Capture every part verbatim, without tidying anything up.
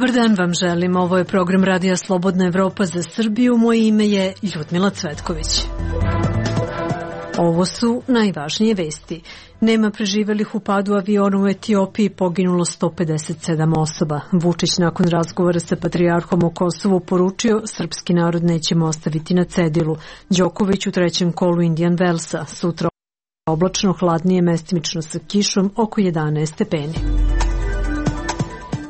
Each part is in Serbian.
Dobar dan vam želim. Ovo je program Radija Slobodna Evropa za Srbiju. Moje ime je Ljudmila Cvetković. Ovo su najvažnije vesti. Nema preživelih u padu aviona u Etiopiji, poginulo sto pedeset sedam osoba. Vučić nakon razgovora sa patrijarhom o Kosovu poručio srpski narod nećemo ostaviti na cedilu. Đoković u trećem kolu Indian Wellsa. Sutra oblačno, hladnije, mestimično sa kišom, oko jedanaest stepeni.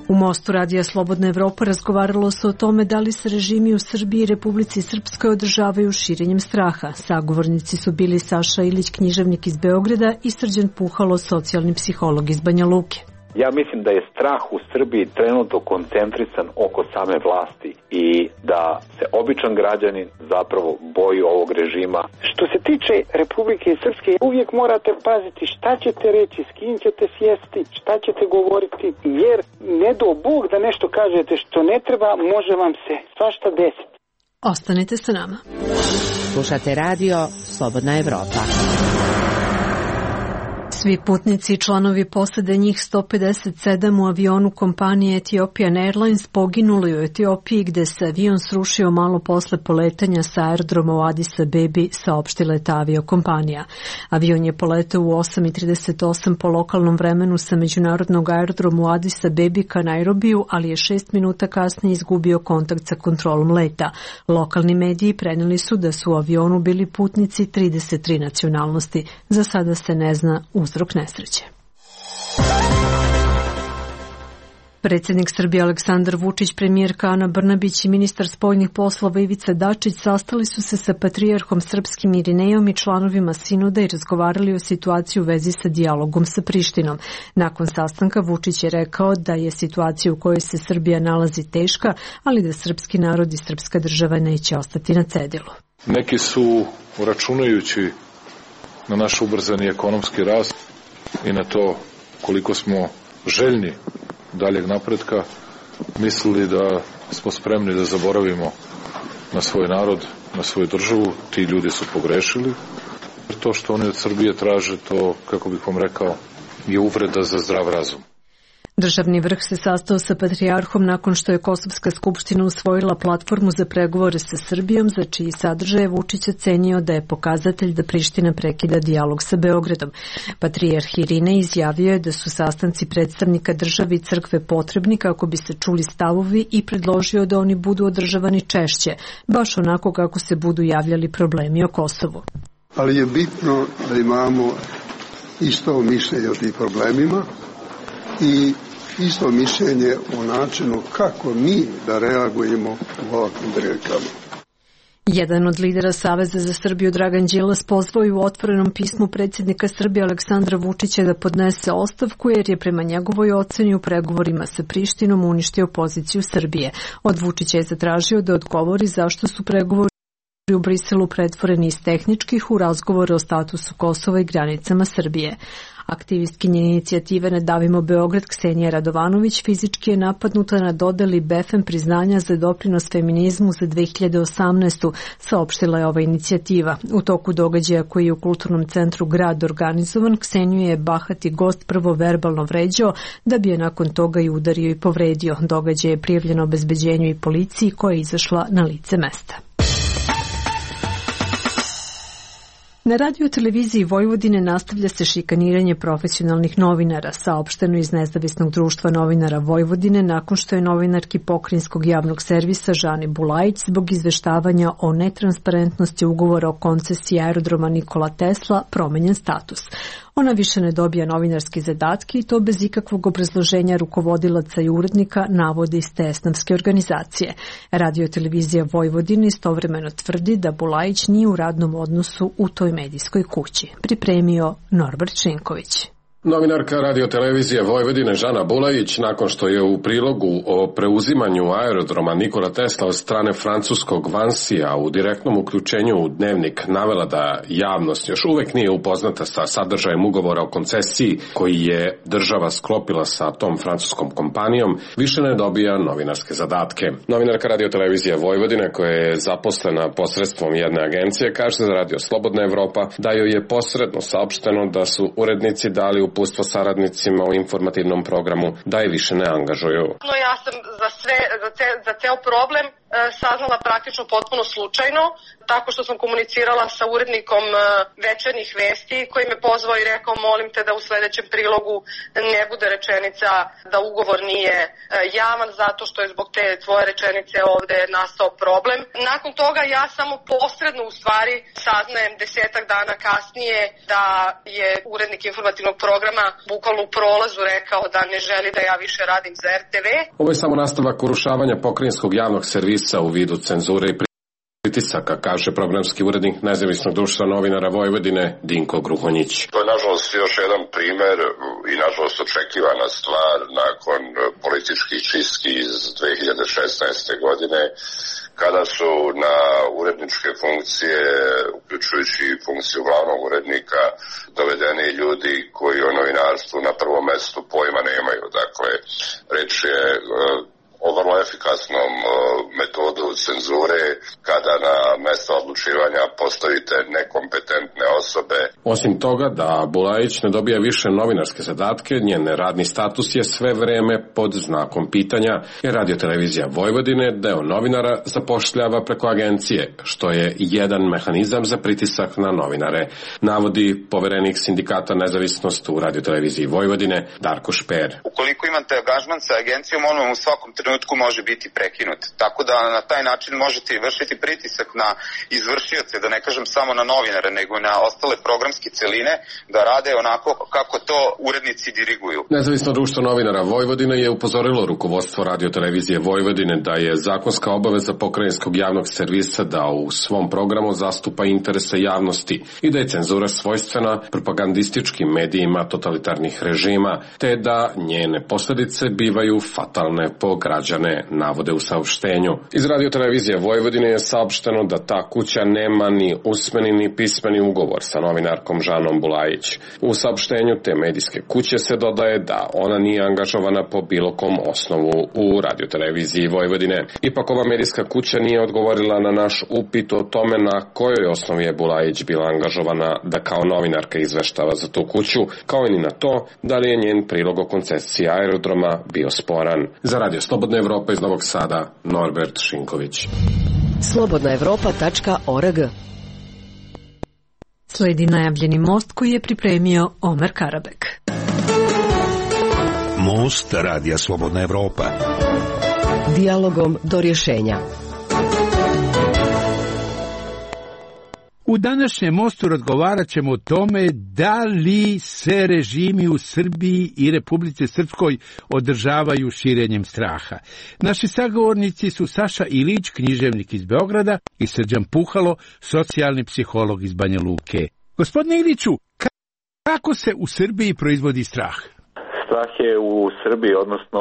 U Mostu Radija Slobodna Evropa razgovaralo se o tome da li se režimi u Srbiji i Republici Srpskoj održavaju širenjem straha. Sagovornici su bili Saša Ilić, književnik iz Beograda, i Srđan Puhalo, socijalni psiholog iz Banja Luke. Ja mislim da je strah u Srbiji trenutno koncentrisan oko same vlasti i da se običan građanin zapravo boji ovog režima. Što se tiče Republike Srpske, uvijek morate paziti šta ćete reći, s kim ćete sjesti, šta ćete govoriti, jer ne do Bog da nešto kažete što ne treba, može vam se svašta desiti. Ostanite sa nama. Slušate radio Slobodna Evropa. Svi putnici i članovi posade, njih sto pedeset sedam u avionu kompanije Ethiopian Airlines, poginuli u Etiopiji gde se avion srušio malo posle poletanja sa aerodroma u Adis Abebi, saopštila je ta aviokompanija. Avion je poletao u osam i trideset osam po lokalnom vremenu sa međunarodnog aerodroma u Adis Abebi ka Nairobiju, ali je šest minuta kasnije izgubio kontakt sa kontrolom leta. Lokalni mediji preneli su da su u avionu bili putnici trideset tri nacionalnosti. Za sada se ne zna uzrok nesreće. Predsjednik Srbije Aleksandar Vučić, premijerka Ana Brnabić i ministar spoljnih poslova Ivica Dačić sastali su se sa patrijarhom srpskim Irinejom i članovima sinoda i razgovarali o situaciji u vezi sa dijalogom sa Prištinom. Nakon sastanka Vučić je rekao da je situacija u kojoj se Srbija nalazi teška, ali da srpski narod i srpska država neće ostati na cedilu. Neki su, računajući na naš ubrzani ekonomski rast i na to koliko smo željni daljeg napretka, mislili da smo spremni da zaboravimo na svoj narod, na svoju državu. Ti ljudi su pogrešili. To što oni od Srbije traže, to, kako bih vam rekao, je uvreda za zdrav razum. Državni vrh se sastao sa patrijarhom nakon što je Kosovska skupština usvojila platformu za pregovore sa Srbijom, za čiji sadržaj Vučić ocenio da je pokazatelj da Priština prekida dijalog sa Beogradom. Patrijarh Irinej izjavio je da su sastanci predstavnika države i crkve potrebni kako bi se čuli stavovi i predložio da oni budu održavani češće, baš onako kako se budu javljali problemi o Kosovu. Ali je bitno da imamo isto mišljenje o tim problemima i isto mišljenje o načinu kako mi da reagujemo u ovakvim prilikama. Jedan od lidera Saveza za Srbiju, Dragan Đilas, pozvao je u otvorenom pismu predsjednika Srbije Aleksandra Vučića da podnese ostavku jer je prema njegovoj oceni u pregovorima sa Prištinom uništio poziciju Srbije. Od Vučića je zatražio da odgovori zašto su pregovori u Briselu pretvoreni iz tehničkih u razgovore o statusu Kosova i granicama Srbije. Aktivistkinja inicijative Ne davimo Beograd Ksenija Radovanović fizički je napadnuta na dodeli B E F E M priznanja za doprinos feminizmu za dve hiljade osamnaestu. Saopštila je ova inicijativa. U toku događaja koji je u Kulturnom centru Grad organizovan, Kseniju je bahati gost prvo verbalno vređao, da bi je nakon toga i udario i povredio. Događaj je prijavljen obezbeđenju i policiji koja je izašla na lice mesta. Na radio televiziji Vojvodine nastavlja se šikaniranje profesionalnih novinara, saopšteno iz Nezavisnog društva novinara Vojvodine nakon što je novinarki Pokrajinskog javnog servisa Žani Bulajić zbog izveštavanja o netransparentnosti ugovora o koncesiji aerodroma Nikola Tesla promenjen status. Ona više ne dobija novinarski zadatke i to bez ikakvog obrazloženja rukovodilaca i urednika, navode iz te esnafske organizacije. Radio televizija Vojvodine istovremeno tvrdi da Bulajić nije u radnom odnosu u toj medijskoj kući. Pripremio Norbert Šinković. Novinarka radiotelevizije Vojvodine Žana Bulajić, nakon što je u prilogu o preuzimanju aerodroma Nikola Tesla od strane francuskog Vansija u direktnom uključenju u Dnevnik navela da javnost još uvek nije upoznata sa sadržajem ugovora o koncesiji koji je država sklopila sa tom francuskom kompanijom, više ne dobija novinarske zadatke. Novinarka radiotelevizije Vojvodine, koja je zaposlena posredstvom jedne agencije, kaže za Radio Slobodna Evropa da joj je posredno saopšteno da su urednici dali u uputstvo saradnicima u informativnom programu da je više ne angažuju. No, ja sam za sve, za, ce, za ceo problem e, saznala praktično potpuno slučajno, tako što sam komunicirala sa urednikom e, večernjih vesti koji me pozvao i rekao molim te da u sledećem prilogu ne bude rečenica da ugovor nije e, javan zato što je zbog te tvoje rečenice ovde nastao problem. Nakon toga ja samo posredno u stvari saznajem desetak dana kasnije da je urednik informativnog programa bukvalno u prolazu rekao da ne želi da ja više radim za er te ve. Ovo je samo nastavak urušavanja pokrajinskog javnog servisa u vidu cenzure i pritisaka, kaže programski urednik Nezavisnog društva novinara Vojvodine Dinko Gruhonjić. To je nažalost još jedan primer i nažalost očekivana stvar nakon političkih čistki iz dve hiljade šesnaeste. godine, kada su na uredničke funkcije, uključujući funkciju glavnog urednika, dovedeni ljudi koji o novinarstvu na prvom mestu pojma nemaju. Dakle, reč je o vrlo efikasnom metodu cenzure kada na mesto odlučivanja postavite nekompetentne osobe. Osim toga da Bulajić ne dobija više novinarske zadatke, njen radni status je sve vreme pod znakom pitanja, jer Radio-televizija Vojvodine deo novinara zapošljava preko agencije, što je jedan mehanizam za pritisak na novinare, navodi poverenik sindikata Nezavisnost u Radio-televiziji Vojvodine Darko Šper. Ukoliko imate angažman sa agencijom, on vam u svakom trenutku može biti prekinut. Tako da na taj način možete vršiti pritisak na izvršioce, da ne kažem samo na novinare, nego na ostale programske celine, da rade onako kako to urednici diriguju. Nezavisno društvo novinara Vojvodine je upozorilo rukovodstvo Radio-televizije Vojvodine da je zakonska obaveza pokrajinskog javnog servisa da u svom programu zastupa interese javnosti i da je cenzura svojstvena propagandističkim medijima totalitarnih režima, te da njene posledice bivaju fatalne po građane, navode u saopštenju. Iz Radio-televizije Vojvodine je saopšteno da ta kuća nema ni usmeni ni pismeni ugovor sa novinarkom Žanom Bulajić. U saopštenju te medijske kuće se dodaje da ona nije angažovana po bilo kom osnovu u Radio-televiziji Vojvodine. Ipak ova medijska kuća nije odgovorila na naš upit o tome na kojoj osnovi je Bulajić bila angažovana da kao novinarka izveštava za tu kuću, kao i ni na to da li je njen prilog o koncesiji aerodroma bio sporan. Za Radio Slobodna Evropa iz Novog Sada, Norbert Šinković. slobodna evropa tačka org. Sledi najavljeni most koji je pripremio Omer Karabek. Most Radija Slobodna Evropa. Dijalogom do rješenja. U današnjem mostu razgovarat ćemo o tome da li se režimi u Srbiji i Republici Srpskoj održavaju širenjem straha. Naši sagovornici su Saša Ilić, književnik iz Beograda, i Srđan Puhalo, socijalni psiholog iz Banja Luke. Gospodine Iliću, kako se u Srbiji proizvodi strah? Strah je u Srbiji, odnosno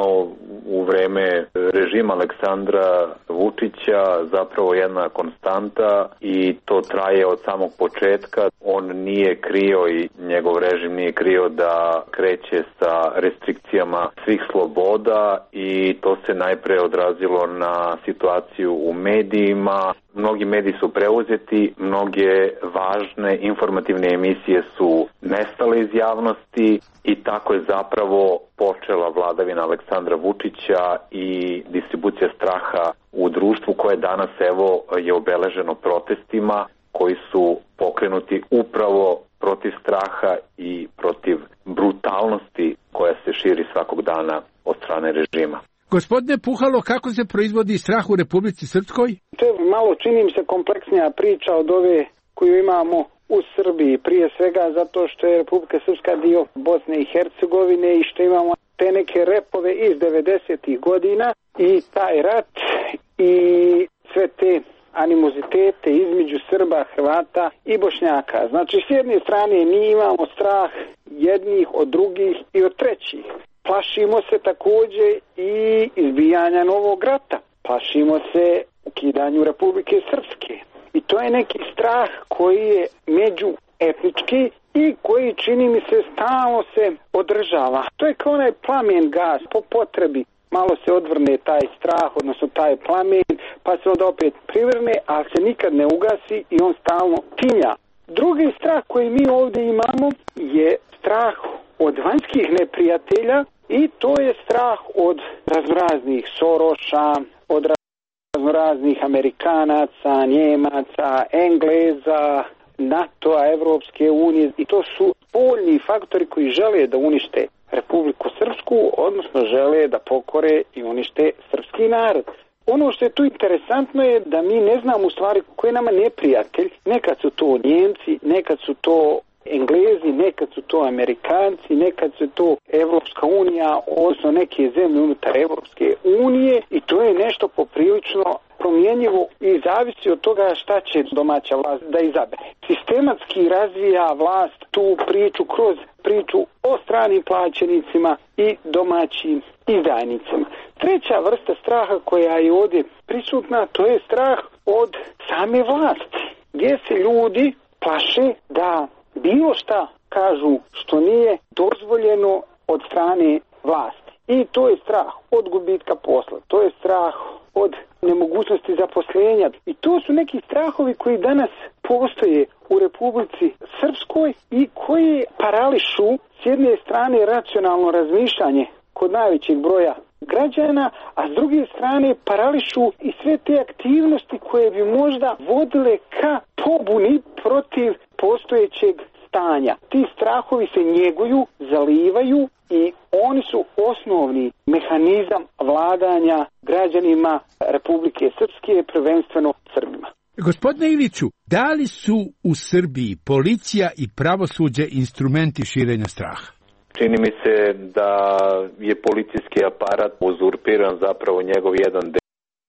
u vreme režima Aleksandra Vučića, zapravo jedna konstanta i to traje od samog početka. On nije krio i njegov režim nije krio da kreće sa restrikcijama svih sloboda i to se najpre odrazilo na situaciju u medijima. Mnogi mediji su preuzeti, mnoge važne informativne emisije su nestale iz javnosti i tako je zapravo počela vladavina Aleksandra Vučića i distribucija straha u društvu koje danas evo je obeleženo protestima koji su pokrenuti upravo protiv straha i protiv brutalnosti koja se širi svakog dana od strane režima. Gospodine Puhalo, kako se proizvodi strah u Republici Srpskoj? To je malo, čini mi se, kompleksnija priča od ove koju imamo u Srbiji. Prije svega zato što je Republika Srpska dio Bosne i Hercegovine i što imamo te neke repove iz devedesetih godina i taj rat i sve te animozitete između Srba, Hrvata i Bošnjaka. Znači, s jedne strane mi imamo strah jednih od drugih i od trećih. Plašimo se također i izbijanja novog rata. Plašimo se ukidanju Republike Srpske. I to je neki strah koji je međuetnički i koji, čini mi se, stalno se održava. To je kao onaj plamen gas, po potrebi. Malo se odvrne taj strah, odnosno taj plamen, pa se onda opet privrne, ali se nikad ne ugasi i on stalno tinja. Drugi strah koji mi ovdje imamo je strah od vanjskih neprijatelja i to je strah od raznoraznih Soroša, od raznoraznih Amerikanaca, Njemaca, Engleza, NATO-a, Evropske unije i to su spoljni faktori koji žele da unište Republiku Srpsku, odnosno žele da pokore i unište srpski narod. Ono što je tu interesantno je da mi ne znamo u stvari ko je nama neprijatelj. Nekad su to Njemci, nekad su to Englezi, nekad su to Amerikanci, nekad su to Evropska unija, odnosno neke zemlje unutar Evropske unije i to je nešto poprilično promjenjivo i zavisi od toga šta će domaća vlast da izabere. Sistematski razvija vlast tu priču kroz priču o stranim plaćenicima i domaćim izdajnicima. Treća vrsta straha koja je ovdje prisutna, to je strah od same vlasti, gdje se ljudi plaše da bilo šta kažu što nije dozvoljeno od strane vlasti. I to je strah od gubitka posla, to je strah od nemogućnosti zaposlenja. I to su neki strahovi koji danas postoje u Republici Srpskoj i koji parališu s jedne strane racionalno razmišljanje kod najvećeg broja građana, a s druge strane parališu i sve te aktivnosti koje bi možda vodile ka pobuni protiv postojećeg stanja. Ti strahovi se njeguju, zalivaju i oni su osnovni mehanizam vladanja građanima Republike Srpske, prvenstveno Srbima. Gospodine Iliću, da li su u Srbiji policija i pravosuđe instrumenti širenja straha? Čini mi se da je policijski aparat uzurpiran, zapravo njegov jedan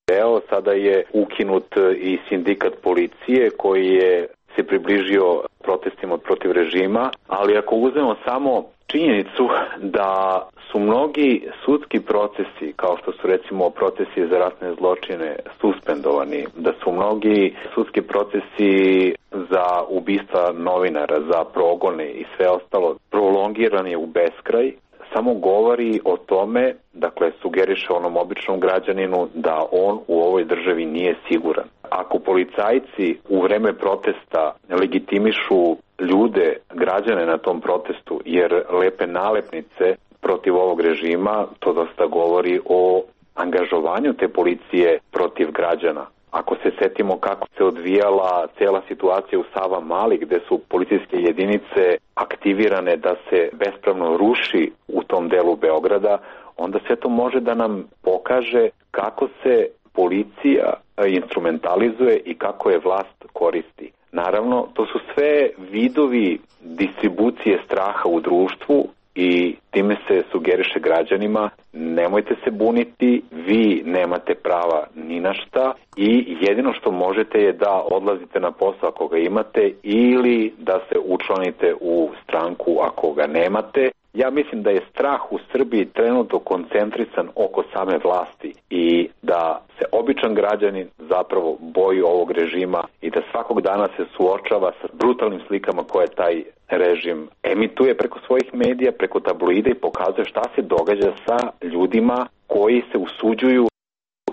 deo. Sada je ukinut i sindikat policije koji je se približio protestima protiv režima, ali ako uzmemo samo činjenicu da su mnogi sudski procesi, kao što su recimo procesi za ratne zločine, suspendovani, da su mnogi sudski procesi za ubistva novinara, za progone i sve ostalo prolongirani u beskraj, samo govori o tome, dakle sugeriše onom običnom građaninu da on u ovoj državi nije siguran. Ako policajci u vreme protesta legitimišu ljude, građane na tom protestu, jer lepe nalepnice protiv ovog režima, to dosta govori o angažovanju te policije protiv građana. Ako se setimo kako se odvijala cela situacija u Savamali, gde su policijske jedinice aktivirane da se bespravno ruši u tom delu Beograda, onda sve to može da nam pokaže kako se policija instrumentalizuje i kako je vlast koristi. Naravno, to su sve vidovi distribucije straha u društvu i time se sugeriše građanima, nemojte se buniti, vi nemate prava ni na šta i jedino što možete je da odlazite na posao ako ga imate ili da se učlanite u stranku ako ga nemate. Ja mislim da je strah u Srbiji trenutno koncentrisan oko same vlasti i da se običan građanin zapravo boji ovog režima i da svakog dana se suočava sa brutalnim slikama koje taj režim emituje preko svojih medija, preko tabloida i pokazuje šta se događa sa ljudima koji se usuđuju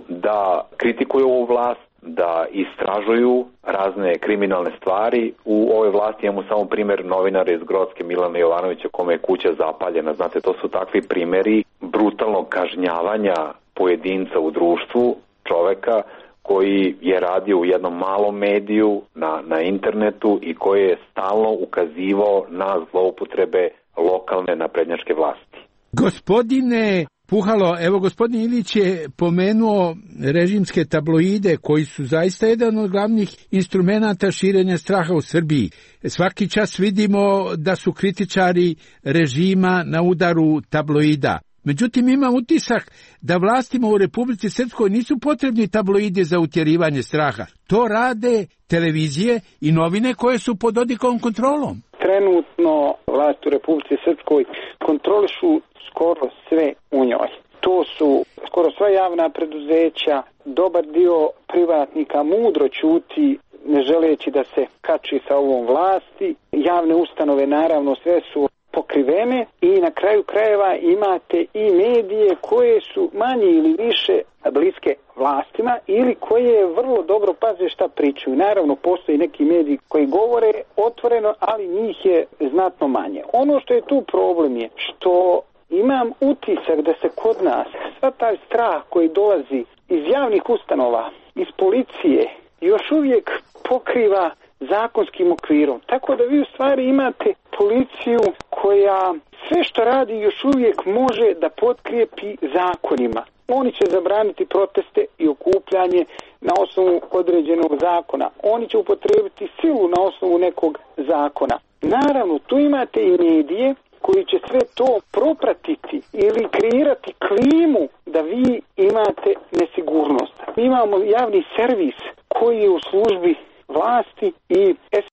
da kritikuju ovu vlast, da istražuju razne kriminalne stvari. U ovoj vlasti imamo samo primjer novinara iz Grocke Milana Jovanovića kome je kuća zapaljena. Znate, to su takvi primjeri brutalnog kažnjavanja pojedinca u društvu, čoveka koji je radio u jednom malom mediju na, na internetu i koji je stalno ukazivao na zloupotrebe lokalne naprednjačke vlasti. Gospodine Puhalo, evo gospodin Ilić je pomenuo režimske tabloide koji su zaista jedan od glavnih instrumenata širenja straha u Srbiji. Svaki čas vidimo da su kritičari režima na udaru tabloida. Međutim, imam utisak da vlastima u Republici Srpskoj nisu potrebni tabloidi za utjerivanje straha. To rade televizije i novine koje su pod Dodikom kontrolom. Trenutno vlast u Republici Srpskoj kontrolišu skoro sve u njoj. To su skoro sva javna preduzeća, dobar dio privatnika mudro ćuti ne želeći da se kači sa ovom vlasti. Javne ustanove naravno sve su pokrivene i na kraju krajeva imate i medije koje su manje ili više bliske vlastima ili koje vrlo dobro paze šta pričaju. Naravno, postoji neki mediji koji govore otvoreno, ali njih je znatno manje. Ono što je tu problem je što imam utisak da se kod nas sva taj strah koji dolazi iz javnih ustanova, iz policije, još uvijek pokriva zakonskim okvirom. Tako da vi u stvari imate policiju koja sve što radi još uvijek može da potkrijepi zakonima. Oni će zabraniti proteste i okupljanje na osnovu određenog zakona. Oni će upotrijebiti silu na osnovu nekog zakona. Naravno, tu imate i medije koji će sve to propratiti ili kreirati klimu da vi imate nesigurnost. Mi imamo javni servis koji je u službi vlasti i es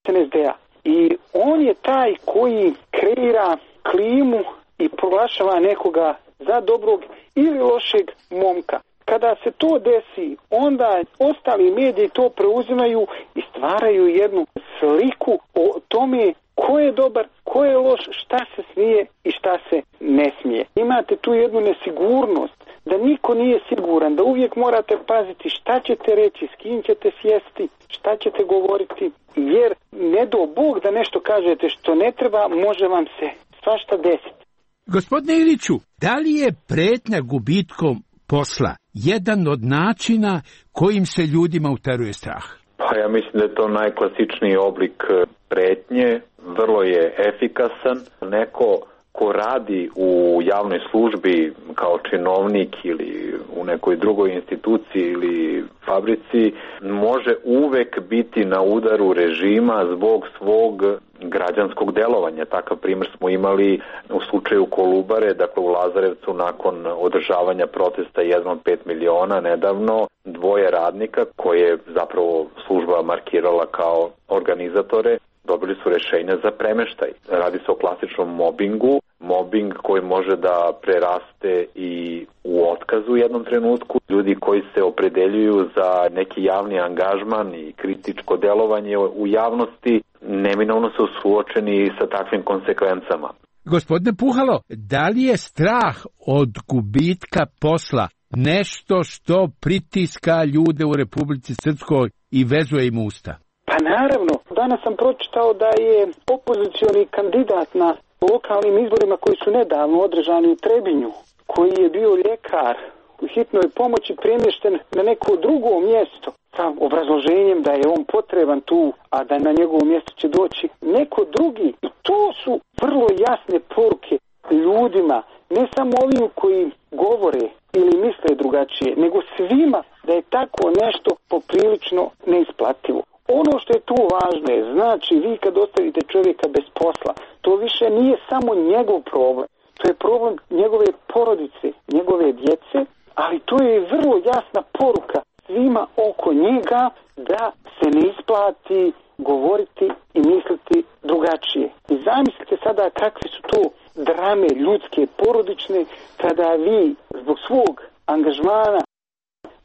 en es de a. I on je taj koji kreira klimu i proglašava nekoga za dobrog ili lošeg momka. Kada se to desi, onda ostali mediji to preuzimaju i stvaraju jednu sliku o tome ko je dobar, ko je loš, šta se smije i šta se ne smije. Imate tu jednu nesigurnost, da niko nije siguran, da uvijek morate paziti šta ćete reći, s kim ćete sjesti, šta ćete govoriti, jer ne do Bog da nešto kažete što ne treba, može vam se svašta desiti. Gospodine Iliću, da li je pretnja gubitkom posla jedan od načina kojim se ljudima uteruje strah? Pa ja mislim da je to najklasičniji oblik pretnje, vrlo je efikasan. Neko ko radi u javnoj službi kao činovnik ili u nekoj drugoj instituciji ili fabrici može uvek biti na udaru režima zbog svog građanskog delovanja. Takav primjer smo imali u slučaju Kolubare, dakle u Lazarevcu nakon održavanja protesta jedan od pet miliona nedavno, dvoje radnika koje je zapravo služba markirala kao organizatore dobili su rešenja za premeštaj. Radi se o klasičnom mobingu, mobing koji može da preraste i u otkaz u jednom trenutku. Ljudi koji se opredeljuju za neki javni angažman i kritičko delovanje u javnosti neminovno su suočeni sa takvim konsekvencama. Gospodine Puhalo, da li je strah od gubitka posla nešto što pritiska ljude u Republici Srpskoj i vezuje im usta? Pa naravno, danas sam pročitao da je opozicioni kandidat na lokalnim izborima koji su nedavno održani u Trebinju, koji je bio ljekar u hitnoj pomoći, premješten na neko drugo mjesto sa obrazloženjem da je on potreban tu, a da na njegovo mjesto će doći neko drugi. I to su vrlo jasne poruke ljudima, ne samo ovim koji govore ili misle drugačije, nego svima da je tako nešto poprilično neisplativo. Ono što je tu važno je, znači vi kad ostavite čovjeka bez posla, to više nije samo njegov problem, to je problem njegove porodice, njegove djece, ali to je vrlo jasna poruka svima oko njega da se ne isplati govoriti i misliti drugačije. I zamislite sada kakve su to drame ljudske, porodične, kada vi zbog svog angažmana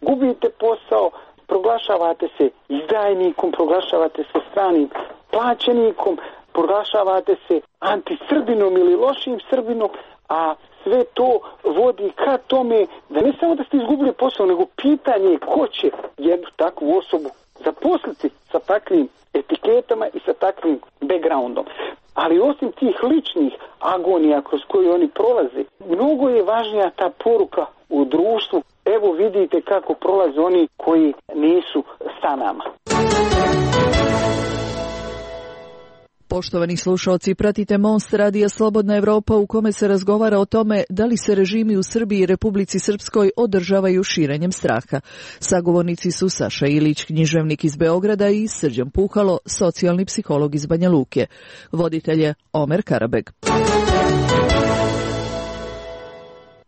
gubite posao, proglašavate se izdajnikom, proglašavate se stranim plaćenikom, proglašavate se antisrbinom ili lošim Srbinom, a sve to vodi ka tome da ne samo da ste izgubili posao, nego pitanje je ko će jednu takvu osobu zaposliti sa takvim etiketama i sa takvim backgroundom. Ali osim tih ličnih agonija kroz koje oni prolaze, mnogo je važnija ta poruka u društvu. Evo vidite kako prolaze oni koji nisu sa nama. Poštovani slušalci, pratite Most radija Slobodna Evropa u kome se razgovara o tome da li se režimi u Srbiji i Republici Srpskoj održavaju širenjem straha. Sagovornici su Saša Ilić, književnik iz Beograda, i Srđan Puhalo, socijalni psiholog iz Banja Luke. Voditelj je Omer Karabeg.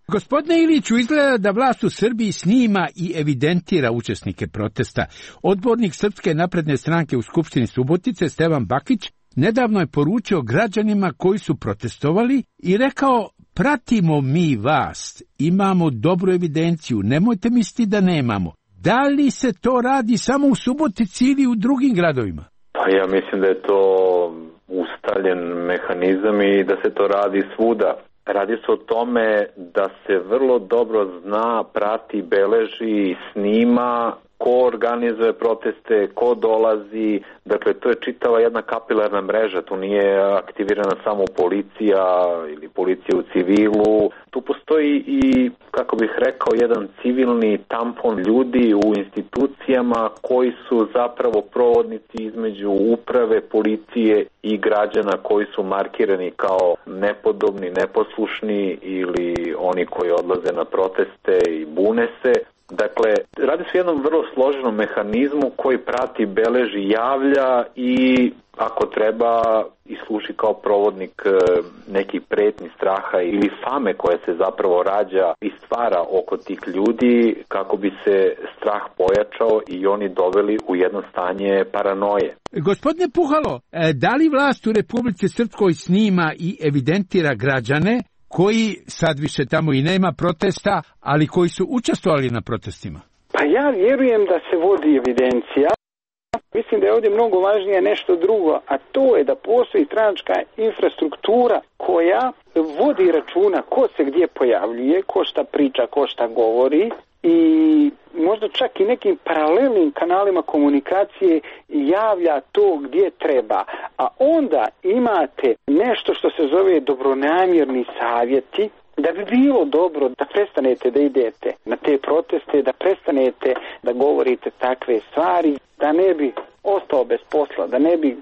Gospodine Iliću, izgleda da vlast u Srbiji snima i evidentira učesnike protesta. Odbornik Srpske napredne stranke u Skupštini Subotice, Stevan Bakić, nedavno je poručio građanima koji su protestovali i rekao: pratimo mi vas, imamo dobru evidenciju, nemojte misliti da nemamo. Da li se to radi samo u Subotici ili u drugim gradovima? Pa ja mislim da je to ustaljen mehanizam i da se to radi svuda. Radi se o tome da se vrlo dobro zna, prati, beleži, snima ko organizuje proteste, ko dolazi, dakle to je čitava jedna kapilarna mreža, tu nije aktivirana samo policija ili policija u civilu, tu postoji i, kako bih rekao, jedan civilni tampon ljudi u institucijama koji su zapravo provodnici između uprave, policije i građana koji su markirani kao nepodobni, neposlušni ili oni koji odlaze na proteste i bune se. Dakle, radi se o jednom vrlo složenom mehanizmu koji prati, beleži, javlja i ako treba i služi kao provodnik nekih pretnji, straha ili fame koja se zapravo rađa i stvara oko tih ljudi kako bi se strah pojačao i oni doveli u jedno stanje paranoje. Gospodine Puhalo, da li vlast u Republici Srpskoj snima i evidentira građane koji sad više tamo i nema protesta, ali koji su učestvovali na protestima? Pa ja vjerujem da se vodi evidencija. Mislim da je ovdje mnogo važnije nešto drugo, a to je da postoji stranačka infrastruktura koja vodi računa ko se gdje pojavljuje, ko šta priča, ko šta govori i možda čak i nekim paralelnim kanalima komunikacije javlja to gdje treba. A onda imate nešto što se zove dobronamjerni savjeti, da bi bilo dobro da prestanete da idete na te proteste, da prestanete da govorite takve stvari, da ne bi ostao bez posla, da ne bi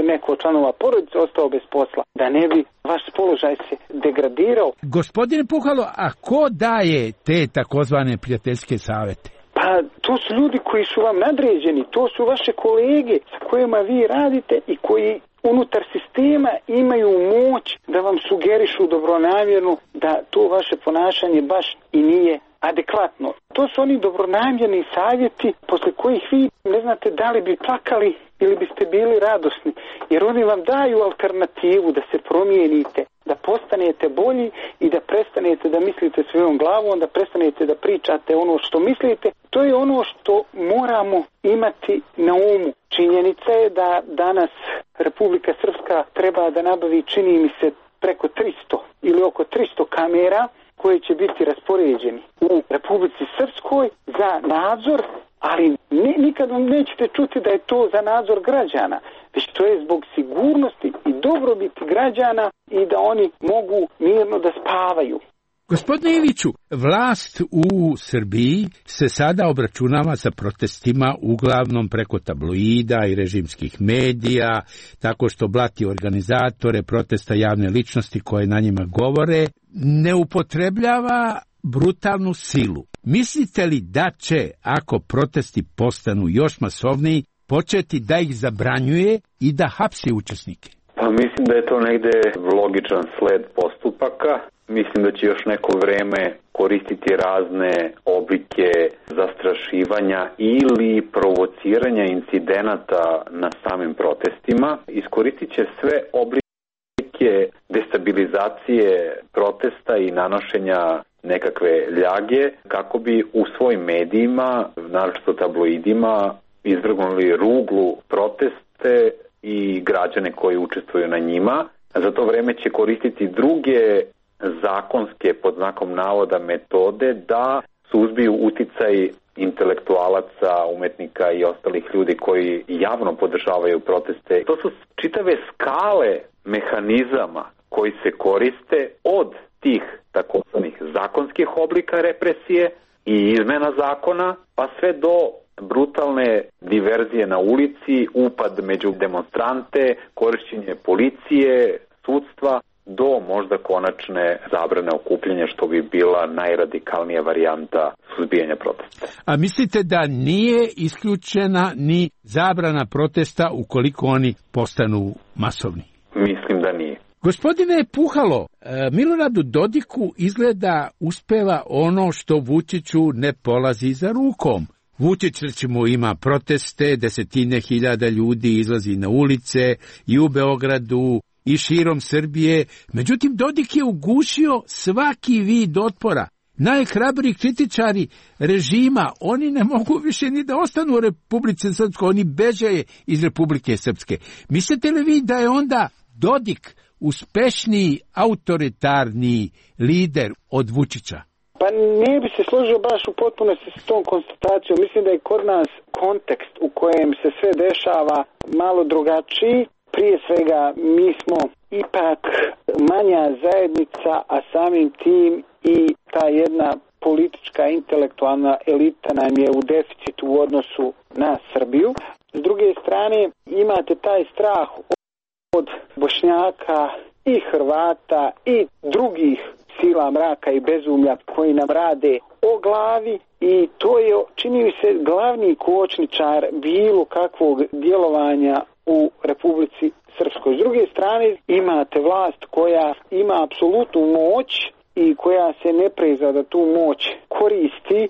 neko od članova porodice ostao bez posla, da ne bi vaš položaj se degradirao. Gospodine Puhalo, a ko daje te takozvane prijateljske savjete? Pa to su ljudi koji su vam nadređeni, to su vaše kolege sa kojima vi radite i koji unutar sistema imaju moć da vam sugerišu dobronamjerno da to vaše ponašanje baš i nije adekvatno. To su oni dobronamjerni savjeti posle kojih vi ne znate da li bi plakali ili biste bili radosni, jer oni vam daju alternativu da se promijenite, da postanete bolji i da prestanete da mislite svojom glavom, da prestanete da pričate ono što mislite. To je ono što moramo imati na umu. Činjenica je da danas Republika Srpska treba da nabavi, čini mi se, preko tristo ili oko tristo kamera koje će biti raspoređeni u Republici Srpskoj za nadzor, ali nikad vam nećete čuti da je to za nadzor građana, već to je zbog sigurnosti i dobrobiti građana i da oni mogu mirno da spavaju. Gospodine Iviću, vlast u Srbiji se sada obračunava sa protestima uglavnom preko tabloida i režimskih medija, tako što blati organizatore protesta, javne ličnosti koje na njima govore, ne upotrebljava brutalnu silu. Mislite li da će, ako protesti postanu još masovniji, početi da ih zabranjuje i da hapsi učesnike? Pa mislim da je to negde logičan sled postupaka. Mislim da će još neko vreme koristiti razne oblike zastrašivanja ili provociranja incidenata na samim protestima. Iskoristit će sve oblike destabilizacije protesta i nanošenja nekakve ljage kako bi u svojim medijima, naročito tabloidima, izvrgnuli ruglu proteste i građane koji učestvuju na njima. Za to vreme će koristiti druge zakonske, pod znakom navoda, metode da suzbiju uticaj intelektualaca, umetnika i ostalih ljudi koji javno podržavaju proteste. To su čitave skale mehanizama koji se koriste od tih takozvanih zakonskih oblika represije i izmena zakona, pa sve do brutalne diverzije na ulici, upad među demonstrante, korišćenje policije, sudstva, do možda konačne zabrane okupljanja, što bi bila najradikalnija varijanta suzbijanja protesta. A mislite da nije isključena ni zabrana protesta ukoliko oni postanu masovni? Mislim da nije. Gospodine Puhalo, Miloradu Dodiku izgleda uspeva ono što Vučiću ne polazi za rukom. Vučić, recimo, ima proteste, desetine hiljada ljudi izlazi na ulice i u Beogradu i širom Srbije. Međutim, Dodik je ugušio svaki vid otpora najhrabriji kritičari režima, oni ne mogu više ni da ostanu u Republici Srpskoj, oni beže iz Republike Srpske. Mislite li vi da je onda Dodik uspešniji autoritarni lider od Vučića? Pa ne bi se složio baš u potpunosti s tom konstatacijom. Mislim da je kod nas kontekst u kojem se sve dešava malo drugačiji. Prije svega mi smo ipak manja zajednica, a samim tim i ta jedna politička intelektualna elita nam je u deficitu u odnosu na Srbiju. S druge strane imate taj strah od Bošnjaka i Hrvata i drugih sila mraka i bezumlja koji nam rade o glavi i to je, čini mi se, glavni kočničar bilo kakvog djelovanja u Republici Srpskoj. S druge strane imate vlast koja ima apsolutnu moć i koja se ne preza da tu moć koristi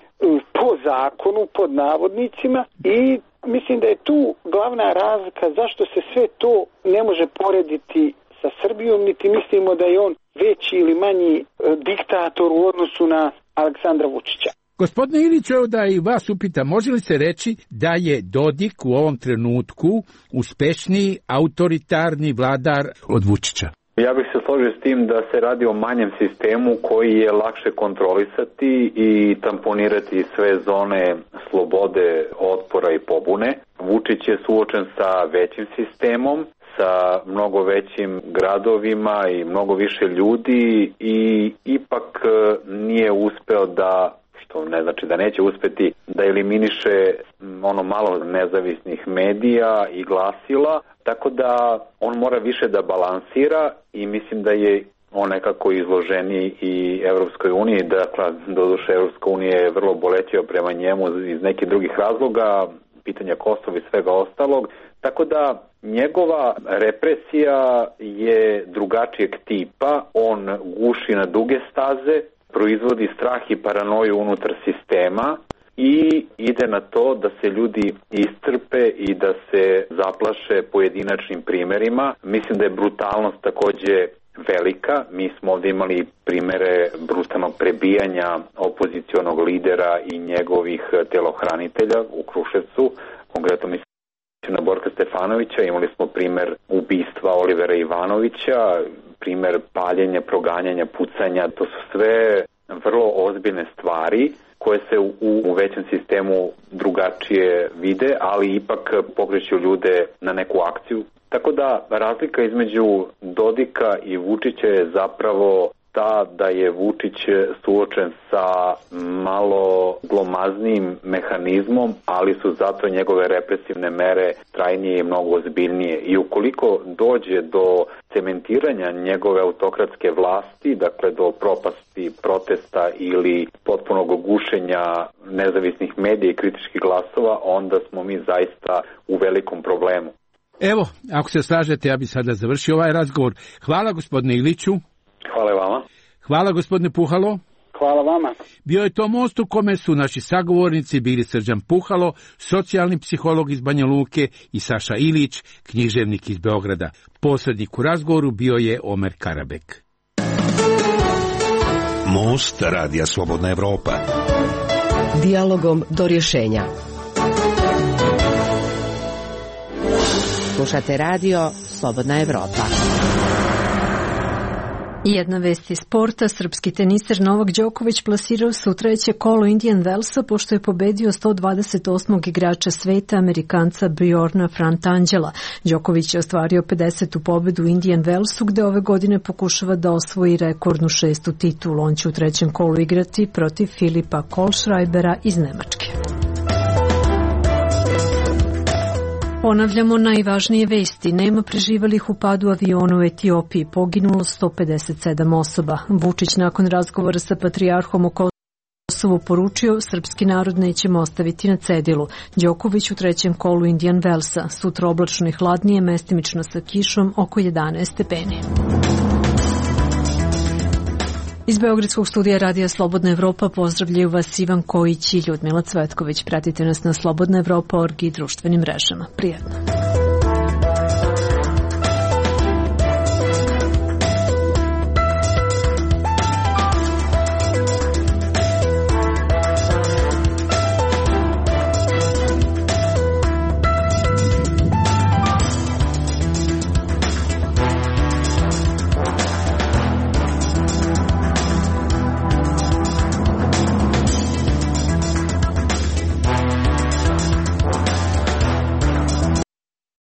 po zakonu, pod navodnicima, i mislim da je tu glavna razlika zašto se sve to ne može porediti sa Srbijom, niti mislimo da je on veći ili manji diktator u odnosu na Aleksandra Vučića. Gospodine Iliću, evo da i vas upitam, može li se reći da je Dodik u ovom trenutku uspešniji autoritarni vladar od Vučića? Ja bih se složio s tim da se radi o manjem sistemu koji je lakše kontrolisati i tamponirati sve zone slobode, otpora i pobune. Vučić je suočen sa većim sistemom, sa mnogo većim gradovima i mnogo više ljudi i ipak nije uspeo da, što ne znači da neće uspeti, da eliminiše ono malo nezavisnih medija i glasila, tako da on mora više da balansira i mislim da je on nekako izloženiji i Evropskoj uniji, dakle, doduše Evropska unija je vrlo bolećiva prema njemu iz nekih drugih razloga, pitanja Kosova i svega ostalog, tako da njegova represija je drugačijeg tipa, on guši na duge staze, proizvodi strah i paranoju unutar sistema i ide na to da se ljudi iscrpe i da se zaplaše pojedinačnim primerima. Mislim da je brutalnost takođe velika. Mi smo ovdje imali primere brutalnog prebijanja opozicionog lidera i njegovih telohranitelja u Kruševcu, konkretno mislim na Borka Stefanovića, imali smo primer ubistva Olivera Ivanovića, primer paljenja, proganjanja, pucanja, to su sve vrlo ozbiljne stvari koje se u, u većem sistemu drugačije vide, ali ipak pokreću ljude na neku akciju. Tako da razlika između Dodika i Vučića je zapravo ta da je Vučić suočen sa malo glomaznijim mehanizmom, ali su zato njegove represivne mere trajnije i mnogo ozbiljnije. I ukoliko dođe do cementiranja njegove autokratske vlasti, dakle do propasti protesta ili potpunog gušenja nezavisnih medija i kritičkih glasova, onda smo mi zaista u velikom problemu. Evo, ako se slažete, ja bih sada završio ovaj razgovor. Hvala gospodine Iliću. Hvala vama. Hvala gospodine Puhalo. Hvala vama. Bio je to most u kome su naši sagovornici bili Srđan Puhalo, socijalni psiholog iz Banja Luke, i Saša Ilić, književnik iz Beograda. Posrednik u razgovoru bio je Omer Karabek. Most Radija Slobodna Evropa. Dijalogom do rješenja. Slušate radio Slobodna Evropa. Jedna vest iz sporta, srpski teniser Novak Đoković plasirao se u treće kolo Indian Wellsa pošto je pobedio sto dvadeset osmog igrača sveta, Amerikanca Bjorna Frantangela. Đoković je ostvario pedesetu pobedu u Indian Wellsu gde ove godine pokušava da osvoji rekordnu šestu titulu. On će u trećem kolu igrati protiv Filipa Kohlschreibera iz Nemačke. Ponavljamo najvažnije vesti. Nema preživelih u padu aviona u Etiopiji. Poginulo sto pedeset sedam osoba. Vučić nakon razgovora sa patrijarhom o Kosovu poručio srpski narod nećemo ostaviti na cedilu. Đoković u trećem kolu Indian Wellsa. Sutra oblačno i hladnije, mestimično sa kišom, oko jedanaest stepeni. Iz Beogradskog studija Radija Slobodna Evropa pozdravljaju vas Ivan Kojić i Ljudmila Cvetković. Pratite nas na slobodna evropa точка org i društvenim mrežama. Prijetno.